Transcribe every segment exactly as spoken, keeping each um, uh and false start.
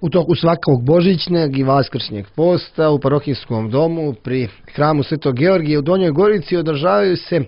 U toku svakog božićnjeg i vaskršnjeg posta u parohijskom domu pri hramu Svetog Georgija u Donjoj Gorici održavaju se e,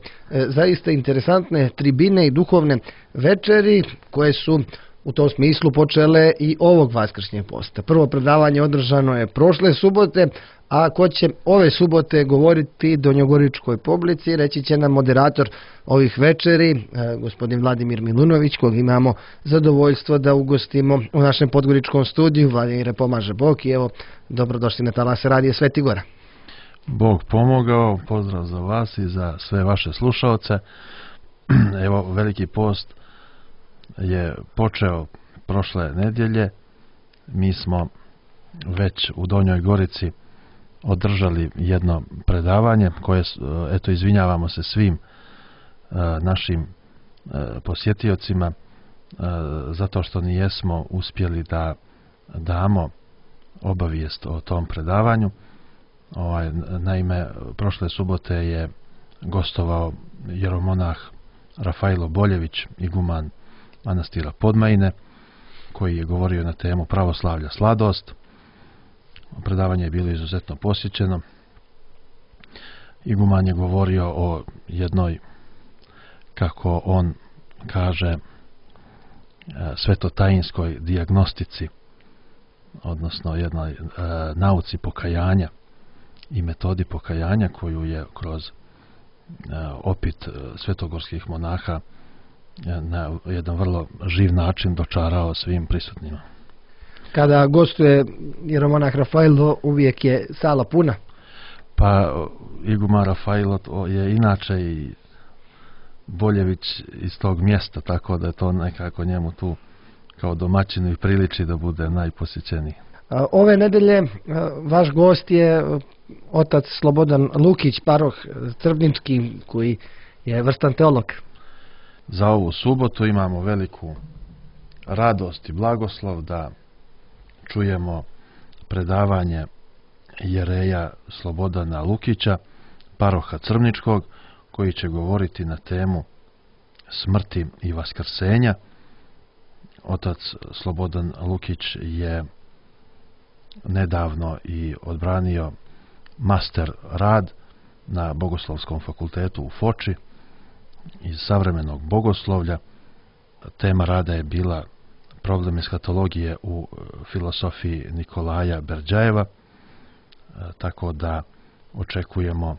zaista interesantne tribine i duhovne večeri koje su u tom smislu počele i ovog vaskršnjeg posta. Prvo predavanje održano je prošle subote, a ko će ove subote govoriti donjogoričkoj publici, reći će nam moderator ovih večeri, e, gospodin Vladimir Milunović, kog imamo zadovoljstvo da ugostimo u našem podgoričkom studiju. Vladimire, pomaže Bog i evo, dobrodošli na talase radija Svetigora. Bog pomogao, pozdrav za vas i za sve vaše slušaoce. Evo, Veliki post je počeo prošle nedjelje. Mi smo već u Donjoj Gorici održali jedno predavanje koje, eto, izvinjavamo se svim e, našim e, posjetiocima e, zato što nijesmo uspjeli da damo obavijest o tom predavanju. Ovaj, naime, prošle subote je gostovao jeromonah Rafailo Boljević, iguman manastira Podmajine, koji je govorio na temu pravoslavlja sladost. Predavanje je bilo izuzetno posjećeno. Iguman je govorio o jednoj, kako on kaže, svetotajinskoj dijagnostici, odnosno jednoj e, nauci pokajanja i metodi pokajanja koju je kroz e, opit svetogorskih monaha e, na jedan vrlo živ način dočarao svim prisutnima. Kada gostuje jeromonah Rafailo, uvijek je sala puna? Pa iguman Rafailo je inače i Boljević iz tog mjesta, tako da je to nekako njemu tu kao domaćinu i priliči da bude najposjećeniji. Ove nedelje vaš gost je otac Slobodan Lukić, paroh Crvnički, koji je vrstan teolog. Za ovu subotu imamo veliku radost i blagoslov da čujemo predavanje jereja Slobodana Lukića, paroha Crvničkog, koji će govoriti na temu smrti i vaskrsenja. Otac Slobodan Lukić je nedavno i odbranio master rad na Bogoslovskom fakultetu u Foči iz savremenog bogoslovlja. Tema rada je bila problem eskatologije u filosofiji Nikolaja Berdjajeva, tako da očekujemo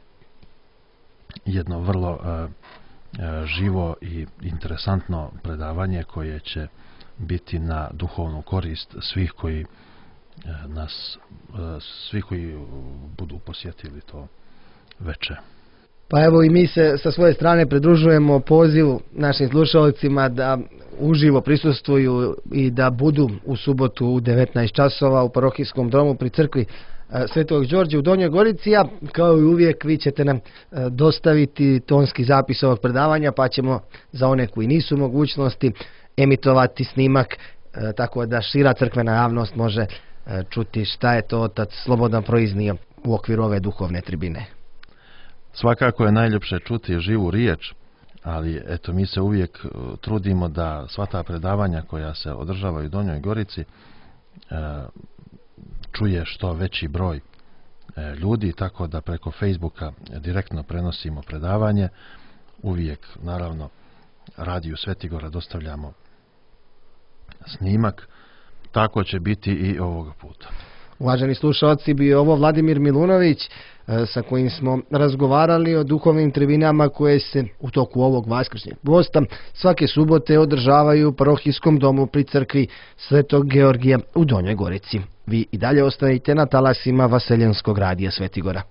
jedno vrlo živo i interesantno predavanje koje će biti na duhovnu korist svih koji nas, svi koji budu posjetili to veče. Pa evo i mi se sa svoje strane pridružujemo pozivu našim slušalcima da uživo prisustvuju i da budu u subotu u devetnaest časova u parohijskom domu pri crkvi Svetog Đorđa u Donjoj Gorici, a kao i uvijek vi ćete nam dostaviti tonski zapis ovog predavanja, pa ćemo za one koji nisu u mogućnosti emitovati snimak, tako da šira crkvena javnost može čuti šta je to otac Slobodan proiznio u okviru ove duhovne tribine. Svakako je najljepše čuti živu riječ, ali eto, mi se uvijek trudimo da sva ta predavanja koja se održavaju u Donjoj Gorici e, čuje što veći broj e, ljudi, tako da preko Facebooka direktno prenosimo predavanje. Uvijek, naravno, radiju Svetigora dostavljamo snimak. Tako će biti i ovoga puta. Uvaženi slušalci, bio ovo Vladimir Milunović, sa kojim smo razgovarali o duhovnim tribinama koje se u toku ovog vaskršnjeg posta svake subote održavaju u parohijskom domu pri crkvi Svetog Georgija u Donjoj Gorici. Vi i dalje ostanite na talasima Vaseljenskog radija Svetigora.